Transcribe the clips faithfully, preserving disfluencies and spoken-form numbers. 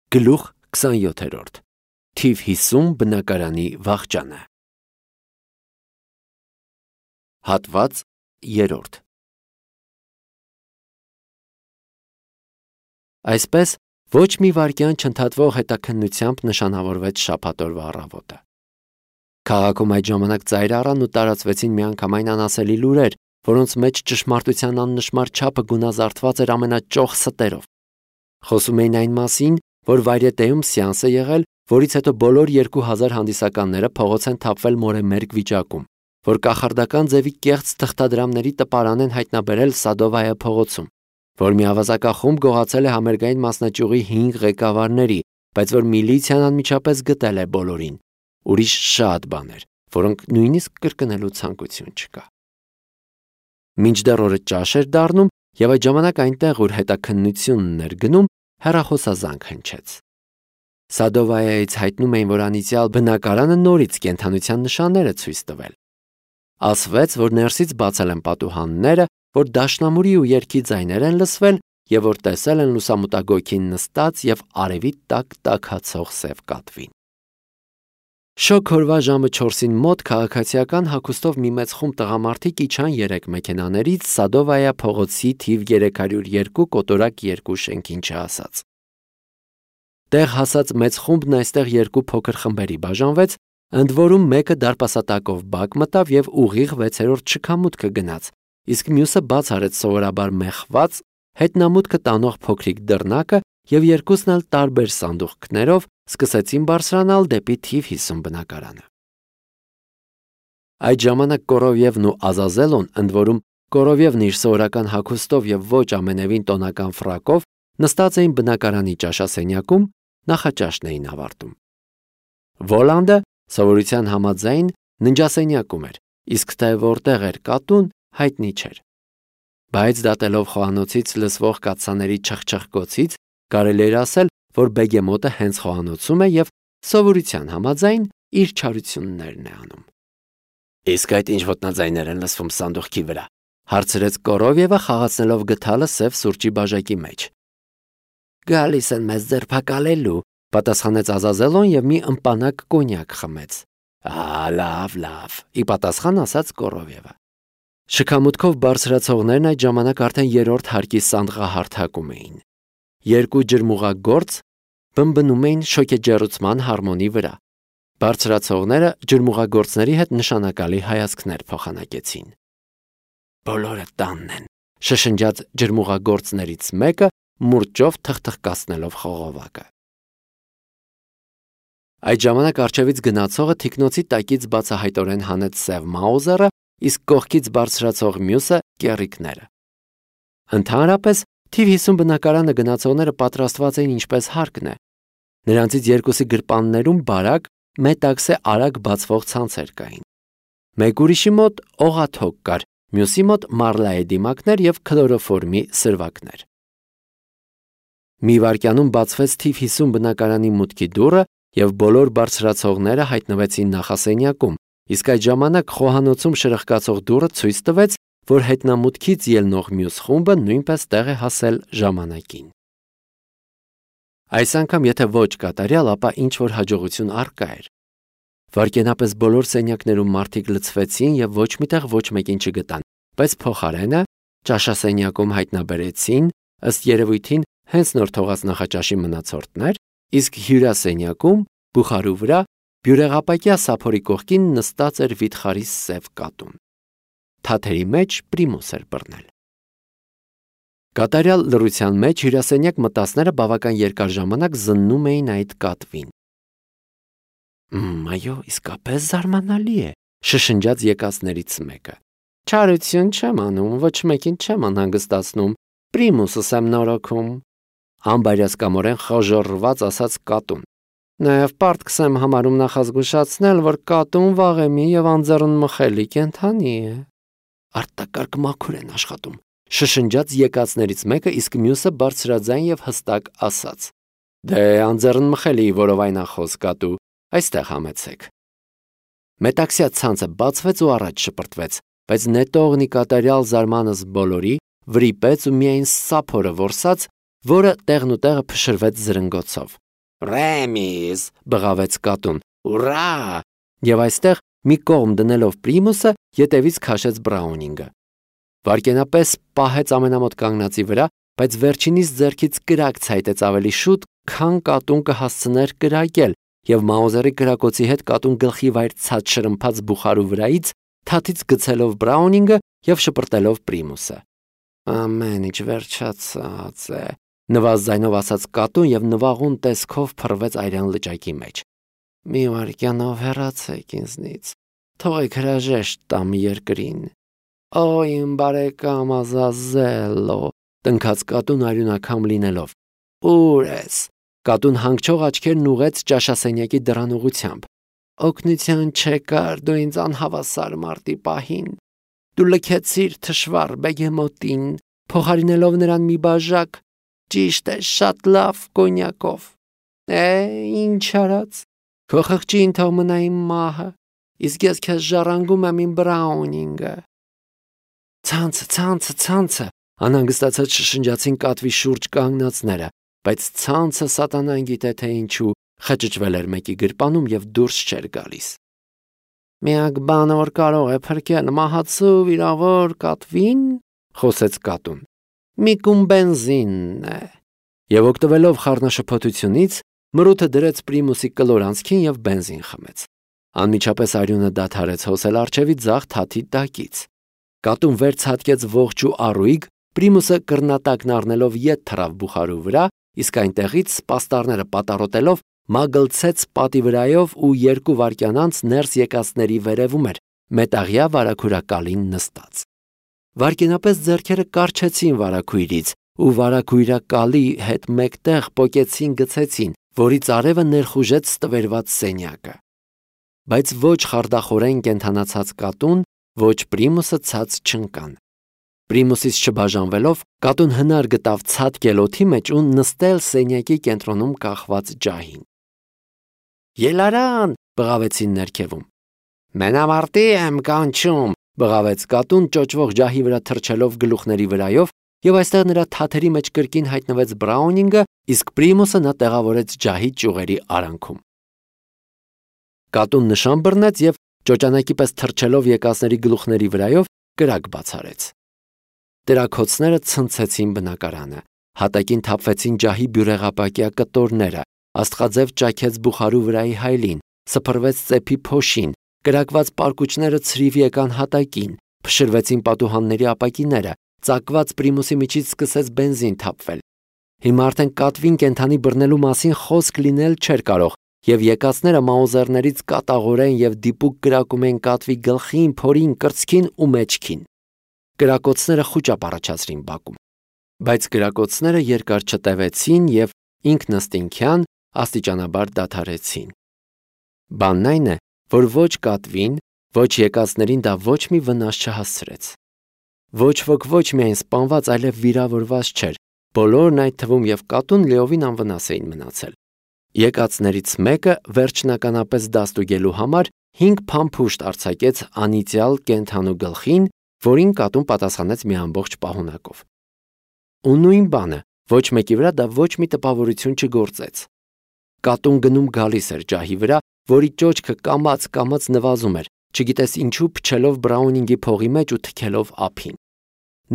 Գլուխ քսանյոթերորդ Թիվ հիսուն բնակարանի վախճանը Հատված երրորդ Այսպես ոչ մի վայրկյան չընդհատվող հետաքննությամբ նշանավորվեց շաբաթ օրվա առավոտը։ Քաղաքում այդ ժամանակ ծայր առան ու տարածվեցին միանգամայն անասելի լուրեր, որոնց մեջ ճշմարտության աննշմար չափը գունազարդված էր ամենաճոխ ստերով։ Խոսում էին այն մասին, որ վայրետեում սեանս է եղել, որից հետո բոլոր երկու հազար հանդիսականները փողոց են թափվել մորեմերկ վիճակում, որ կախարդական ձևի կեղծ թղթադրամների տպարան են հայտնաբերել Սադովայա փողոցում, որ մի ավազակախումբ գողացել է համերգային մասնաճյուղի հինգ ղեկավարների, բայց որ միլիցիան անմիջապես գտել է բոլորին, ուրիշ շատ բաներ, որոնք նույնիսկ կրկնելու ցանկություն չկա։ Մինչդեռ օրը ճաշ էր դառնում, եւ այդ ժամանակ այնտեղ, ուր հետաքննությունն էր գնում, հեռախոսազանգ հնչեց։ Սադովայայից հայտնում էին, որ անիծյալ բնակարանը նորից կենդանության նշաններ է ցույց տվել։ Ասվեց, որ ներսից բացել են պատուհանները, որ դաշնամուրի ու երգի ձայներ են լսվել եւ որ տեսել են լուսամուտագոյքին նստած եւ արևի տակ տաքացող սև կատվին։ Շոգ օրվա ժամը չորսին մոտ քաղաքացիական հագուստով մի մեծ խումբ տղամարդիկ իջան երեք մեքենաներից Սադովայա փողոցի թիվ երեք հարյուր երկու կոտորակ երկու շենքին չհասած։ Տեղ հասած մեծ խումբն այստեղ երկու փոքր խմբերի բաժանվեց, ընդ որում մեկը դարպասատակով բակ մտավ եւ ուղիղ վեցերորդ շքամուտքը գնաց, իսկ մյուսը բաց արեց սովորաբար մեխված, հետնամուտքը տանող փոքրիկ դռնակը եւ երկուսն էլ տարբեր սանդուղքներով սկսեցին բարձրանալ դեպի թիվ հիսուն բնակարանը։ Այդ ժամանակ Կորովևն ու Ազազելոն, ընդ որում Կորովևն իր սովորական հագուստով եւ ոչ ամենևին տոնական ֆրակով, նստած էին բնակարանի ճաշասենյակում, նախաճաշն էին ավարտում։ Վոլանդը սովորության համաձայն ննջասենյակում էր, իսկ թե որտեղ էր կատուն, հայտնի չէր։ Բայց դատելով խոհանոցից լսվող կաթսաների չխչխկոցից, կարելի էր ասել, որ Բեգեմոտը հենց խոհանոցում է եւ սովորության համաձայն իր չարություններն է անում։ Իսկ այդ ինչ ոտնաձայներ են լսվում սանդուղքի վրա, հարցրեց Կորովևը, խաղացնելով գդալը սև սուրճի բաժակի մեջ։ Գալիս են մեզ ձերբակալելու, պատասխանեց Ազազելոն եւ մի ըմպանակ կոնյակ խմեց։ Ահա, լավ, լավ, ի պատասխան ասաց Կորովևը։ Շքամուտքով բարձրացողներն այդ ժամանակ արդեն երրորդ հարկի սանդղահարթակում էին։ Երկու ջրմուղագործ բմբնում էին շոկեջեռուցման հարմոնի վրա։ Բարձրացողները ջրմուղագործների հետ նշանակալի հայացքներ փոխանակեցին։ Բոլորը տանն են, շշնջաց ջրմուղագործներից մեկը, մուրճով թխթխկացնելով խողովակը։ Այդ ժամանակ առջևից գնացողը թիկնոցի տակից բացահայտորեն հանեց սև մաուզերը, իսկ կողքից բարձրացող մյուսը կեռիկները։ Ընդհանրապես թիվ հիսուն բնակարանը գնացողները պատրաստված էին ինչպես հարկն է։ Նրանցից երկուսի գրպաններում բարակ, մետաքսե արագ բացվող ցանցեր կային։ Մեկ ուրիշի մոտ օղաթոք կար, մյուսի մոտ մարլայի դիմակներ եւ քլորոֆորմի սրվակներ։ Մի վայրկյանում բացվեց թիվ հիսուն բնակարանի մուտքի դուռը եւ բոլոր բարձրացողները հայտնվեցին նախասենյակում, իսկ այդ ժամանակ խոհանոցում շրխկացող դուռը ցույց տվեց, որ հետնամուտքից ելնող մյուս խումբը նույնպես տեղ է հասել ժամանակին։ Այս անգամ եթե ոչ կատարյալ, ապա ինչ որ հաջողություն առկա էր։ Վայրկենապես բոլոր սենյակներում մարդիկ լցվեցին եւ ոչ միտեղ ոչ մեկին չգտան, բայց փոխարենը ճաշասենյակում հայտնաբերեցին ըստ երևույթին հենց նոր թողած նախաճաշի մնացորդներ, իսկ հյուրասենյակում բուխարու վրա բյուրեղապակյա սափորի կողքին նստած էր վիթխարի սև կատուն։ Թաթերի մեջ պրիմուս էր բռնել։ Կատարյալ լռության մեջ հյուրասենյակ մտածները բավական երկար ժամանակ զննում էին այդ կատվին։ Այո, իսկապես զարմանալի է, շշնջաց եկածներից մեկը։ Չարություն չեմ անում, ոչ մեկին չեմ անհանգստացնում, պրիմուսս եմ նորոգում։ Անբարյացկամորեն խոժոռված ասաց կատուն։ Նաև պարտքս եմ համարում նախազգուշացնել, որ կատուն վաղեմի եւ անձեռնմխելի կենդանի է։ Արտակարգ մաքուր են աշխատում, շշնջաց եկածներից մեկը, իսկ մյուսը բարձրաձայն եւ հստակ ասաց. Դե անձեռնմխելի որովայնախոս կատու, այստեղ համեցեք։ Մետաքսյա ցանցը բացվեց ու առաջ շպրտվեց, բայց նետողնի կատարյալ զարմանս բոլորի վրիպեց ու միայն սափորը որսաց, որը տեղն ու տեղը փշրվեց զրնգոցով։ Ռեմիս, բղավեց կատուն։ Ուրա! Եվ այստեղ մի կողմ դնելով Պրիմուսը ետևից քաշեց Բրաունինգը։ Վայրկենապես պահեց ամենամոտ կանգնածի վրա, բայց վերջինիս ձեռքից կրակ ցայտեց ավելի շուտ, քան կատուն կհասցներ կրակել, եւ Մաուզերի կրակոցի հետ կատուն գլխի վայր ցած շրմփած բուխարու վրայից թաթից գցելով Բրաունինգը եւ շպրտելով Պրիմուսը։ Ամեն ինչ վերջացած է, նվազ ձայնով ասաց կատուն եւ նվաղուն տեսքով փռվեց այրան լճակի մեջ։ Մի վայրկյանով հեռացեք ինձնից, թողեք հրաժեշտ տամ երկրին։ Օ, իմ բարեկամ Ազազելո, տնքաց կատուն արյունակամ լինելով։ Ուր ես։ Կատուն հանգչող աչքերն ուղեց ճաշասենյակի դռան ուղությամբ։ Օգնության չեկար դու ինձ անհավասար մարտի պահին։ Դու լքեցիր թշվառ բեգեմոտին, փոխարինելով նրան մի բաժակ, ճիշտ է, շատ լավ կոնյակով։ Է, ինչ արած։ Քո խղճին թող մնա իմ մահը, իսկ ես քեզ ժառանգում եմ իմ Բրաունինգը։ Ցանցը, ցանցը, ցանցը, անհանգստացած շշնջացին կատվի շուրջ կանգնածները, բայց ցանցը սատանան գիտե թե ինչու խճճվել էր մեկի գրպանում եւ դուրս չէր գալիս։ Միակ բանը, որ կարող է փրկել մահացու վիրավոր կատվին, խոսեց կատուն, մի կում բենզինն է։ Եվ օգտվելով խառնաշփոթությունից, մրութը դրեց Պրիմուսի կլոր անցքին եւ բենզին խմեց։ Անմիջապես արյունը դադարեց հոսել արջևի ձախ թաթի տակից։ Կատուն վեր ցատկեց ողջ ու առույգ, Պրիմուսը կռնատակն առնելով ետ թռավ բուխարու վրա, իսկ այնտեղից սպաստարները պատառոտելով մագլցեց պատի վրայով ու երկու վայրկյան անց ներս եկածների վերևում էր մետաղյա վարակույրակալին նստած։ Վայրկենապես ձեռքերը կարչեցին վարակույրից ու վարակույրակալի հետ մեկտեղ պոկեցին գցեցին, որից արևը ներխուժեց ստվերված սենյակը։ Բայց ոչ խարդախորեն կենթանացած կատուն, ոչ Պրիմուսը ցած չընկան։ Պրիմուսից չբաժանվելով, կատուն հնար գտավ ցատկել օդի մեջ ու նստել սենյակի կենտրոնում կախված ջահին։ Ելարան, բղավեցին ներքևում։ Մենամարտի եմ կանչում, բղավեց կատուն ճոճվող ջահի վրա թռչելով գլուխների վրայով, եւ այստեղ նրա թաթերի մեջ կրկին հայտնվեց Բրաունինգը, իսկ Պրիմուսը նա տեղավորեց ջահի ճյուղերի արանքում։ Կատուն նշան բռնեց եւ ճոճանակի պես թռչելով եկածների գլուխների վրայով կրակ բացարեց։ Տերակոցները ցնցեցին բնակարանը, հատակին թափվեցին ջահի բյուրեղապակյա կտորները, աստղաձև ճաքեց բուխարու վրայի հայլին, սփռվեց ծեփի փոշին, կրակված պարկուճները ցրիվ եկան հատակին, փշրվեցին պատուհանների ապակիները, ծակված Պրիմուսի միջից սկսեց բենզին թափվել։ Հիմա արդեն կատվին կենթանի բռնելու մասին խոսք լինել չէր կարող, եւ եկածները Մաուզերներից կատաղորեն եւ դիպուկ կրակում են կատվի գլխին, փորին, կրծքին ու մեջքին։ Կրակոցները խուճապ առաջացրին բակում, բայց կրակոցները երկար չտևեցին եւ ինքնըստինքյան աստիճանաբար դադարեցին։ Բանն այն է, որ ոչ կատվին, ոչ եկածներին դա ոչ մի վնաս չհասցրեց։ Ոչ ոք ոչ միայն սպանված, այլև վիրավորված չէր, բոլորն այդ թվում եւ կատուն լիովին անվնաս էին մնացել։ Եկածներից մեկը վերջնականապես դաստուգելու համար հինգ փամփուշտ արձակեց անիծյալ կենթանու գլխին, որին կատուն պատասխանեց մի ամբողջ պահունակով։ Ու նույն բանը, ոչ մեկի վրա դա ոչ մի տպավորություն չգործեց։ Կատուն գնում գալիս էր ջահի վրա, որի ճոճքը կամաց-կամաց նվազում էր, չգիտես ինչու փչելով Բրաունինգի փողի մեջ ու թքելով ափին։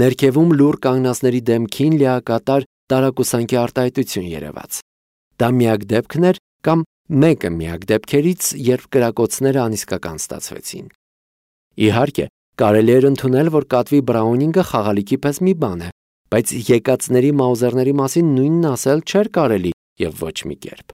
Ներքևում լուր կանգնածների դեմքին լիակատար տարակուսանքի արտահայտություն երևաց։ Դա միակ դեպքն էր կամ մեկը միակ դեպքերից, երբ կրակոցները անիսկական ստացվեցին։ Իհարկե, կարելի էր ընդունել, որ կատվի Բրաունինգը խաղալիքի պես մի բան է, բայց եկածների Մաուզերների մասին նույնն ասել չէր կարելի եւ ոչ մի կերպ։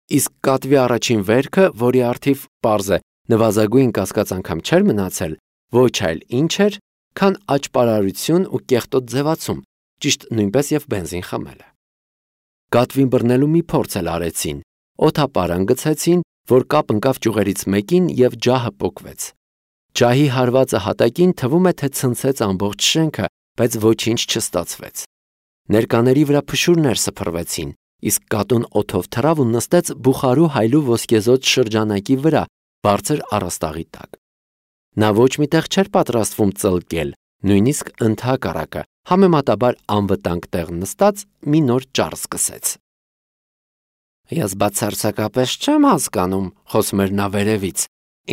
Իսկ կատվի առաջին վերքը, որի առթիվ պարզ է, նվազագույն կասկած անգամ չէր մնացել, ոչ այլ ինչ էր, քան աճպարարություն ու կեղտոտ ձևացում, ճիշտ նույնպես եւ բենզին խմելը։ Կատվին բռնելու մի փորձ էլ արեցին, օդապարան գցեցին, որ կապ ընկավ ճյուղերից մեկին եւ ջահը պոկվեց։ Ջահի հարվածը հատակին թվում է թե ցնցեց ամբողջ շենքը, բայց ոչինչ չստացվեց։ Ներկաների վրա փշուրներ սփռվեցին, իսկ կատուն օդով թռավ ու նստեց բուխարու հայլու ոսկեզօծ շրջանակի վրա, բարձր առաստաղի տակ։ Նա ոչ միտեղ չէր պատրաստվում ծլկել, նույնիսկ ընդհակառակը, համեմատաբար անվտանգ տեղ նստած մի նոր ճառ սկսեց։ Ես բացարձակապես չեմ հասկանում, խոսում էր նա վերևից,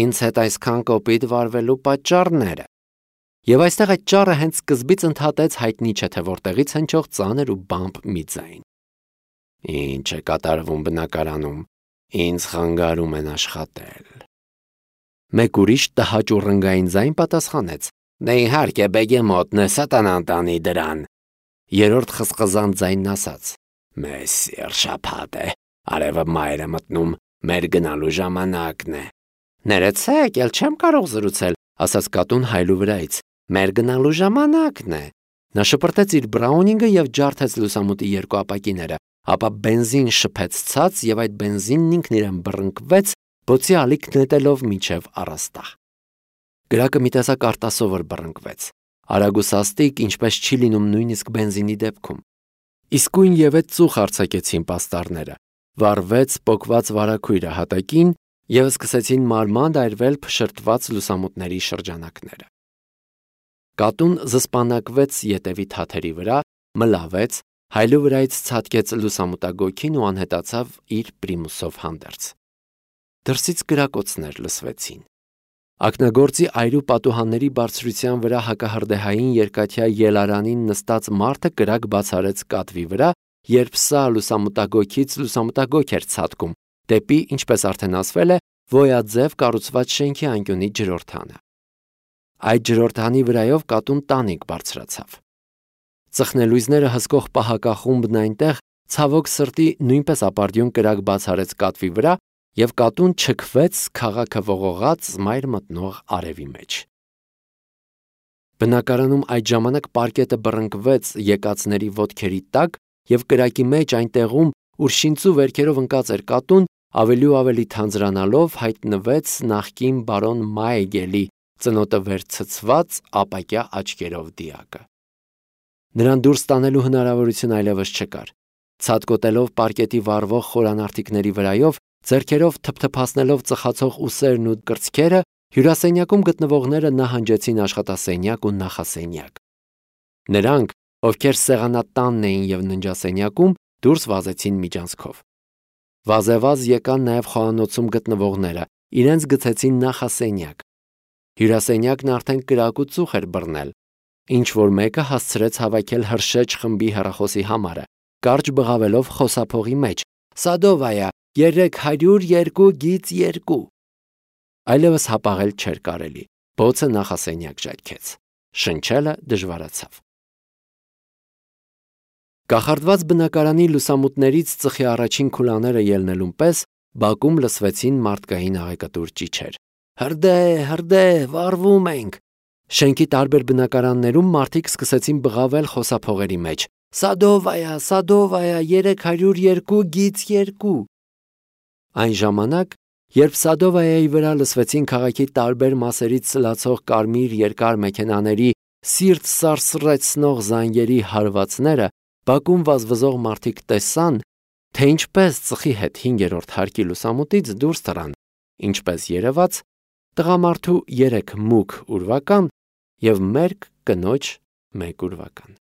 ինձ հետ այսքան կոպիտ վարվելու պատճառները։ Եվ այստեղ այդ ճառը հենց սկզբից ընդհատեց հայտնի չէ թե որտեղից հնչող ծանր ու բամբ մի ձայն։ Ինչ է կատարվում բնակարանում, ինձ խանգարում են աշխատել։ Մեկ ուրիշ տհաճ ու ռնգային ձայն պատասխանեց. Դե իհարկե բեգեմոտն է, սատանան տանի դրան։ Երրորդ խզխզան ձայնն ասաց. Մեսսիր շաբաթ է, արևը մայր է մտնում, մեր գնալու ժամանակն է։ Ներեցեք, ել չեմ կարող զրուցել, ասաց կատուն հայլու վրայից։ Մեր գնալու ժամանակն է։ Նա շպրտեց իր բրաունինգը եւ ջարդեց լուսամուտի երկու ապակիները, ապա բենզին շփեց ցած եւ այդ բենզինն ինքն իրեն բռնկվեց, բոցի ալիք նետելով միջև առաստաղ։ Գրակը մի տեսակ արտասովոր բռնկվեց։ Արագ ու սաստիկ, ինչպես չի լինում նույնիսկ բենզինի դեպքում։ Իսկույն եւ այդ ծուխ արձակեցին պաստառները։ Վառվեց պոկված վարակույրը հատակին եւ սկսեցին մարմանդ այրվել փշրտված լուսամուտների շրջանակները։ Կատուն զսպանակվեց ետևի թաթերի վրա, մլավեց, հայլու վրայից ցատկեց լուսամուտագոգին ու անհետացավ իր պրիմուսով հանդերձ։ Դրսից կրակոցներ լսվեցին։ Ակնագործի այրու պատուհանների բարձրության վրա հակահրդեհային երկաթյա ելարանին նստած մարդը կրակ բացարեց կատվի վրա, երբ սա լուսամուտագոգից լուսամուտագոգ էր ցատկում, դեպի, ինչպես արդեն ասվել է, վոյաձև կառուցված շենքի անկյունի ջրորդանը։ Այդ ջրորդանի վրայով կատուն տանիք բարձրացավ։ Ծխնելույզները հսկող պահակախումբն այնտեղ ցավոք սրտի նույնպես ապարդյուն կրակ բացարեց կատվի վրա եւ կատուն չքվեց քաղաքը ողողած մայր մտնող արևի մեջ։ Բնակարանում այդ ժամանակ պարկետը բռնկվեց եկածների ոտքերի տակ եւ կրակի մեջ այնտեղում, ուր շինծու վերքերով ընկած էր կատուն, ավելի ու ավելի թանձրանալով հայտնվեց նախկին բարոն Մայգելի ծնոտը վերցցված ապակյա աչքերով դիակը։ Նրան դուրս տանելու հնարավորություն այլևս չկար։ Ցատկոտելով պարկետի վառվող խորանարդիկների վրայով, ձեռքերով թփթփացնելով ծխացող ուսերն ու կրծքերը, հյուրասենյակում գտնվողները նահանջեցին աշխատասենյակ ու նախասենյակ։ Նրանք, ովքեր սեղանատանն էին եւ ննջասենյակում, դուրս վազեցին միջանցքով։ Վազեվազ եկան նաեւ խոհանոցում գտնվողները, իրենց գցեցին նախասենյակ։ Հյուրասենյակն արդեն կրակ ու ծուխ էր բռնել։ Ինչ որ մեկը հասցրեց հավաքել հրշեջ խմբի հեռախոսի համարը, կարճ բղավելով խոսափողի մեջ. Սադովայա, երեք հարյուր երկու գիծ երկու։ Այլևս հապաղել չէր կարելի։ Բոցը նախասենյակ ժայթքեց։ Շնչելը դժվարացավ։ Կախարդված բնակարանի լուսամուտներից ծխի առաջին քուլաները ելնելուն պես բակում լսվեցին մարդկային աղեկատուր ճիչեր։ Հրդե, հրդե, վառվում ենք։ Շենքի տարբեր բնակարաններում մարդիկ սկսեցին բղավել խոսափողերի մեջ. Սադովայա, Սադովայա, երեք հարյուր երկու գիծ երկու։ Այն ժամանակ, երբ Սադովայայի վրա լսվեցին քաղաքի տարբեր մասերից սլացող կարմիր երկար մեքենաների սիրտ սարսռեցնող զանգերի հարվածները, բակում վազվզող մարդիկ տեսան, թե ինչպես ծխի հետ հինգերորդ հարկի լուսամուտից դուրս թռան, ինչպես երևաց, տղամարդու երեք մուգ ուրվական և մերկ կնոջ մեկ ուրվական։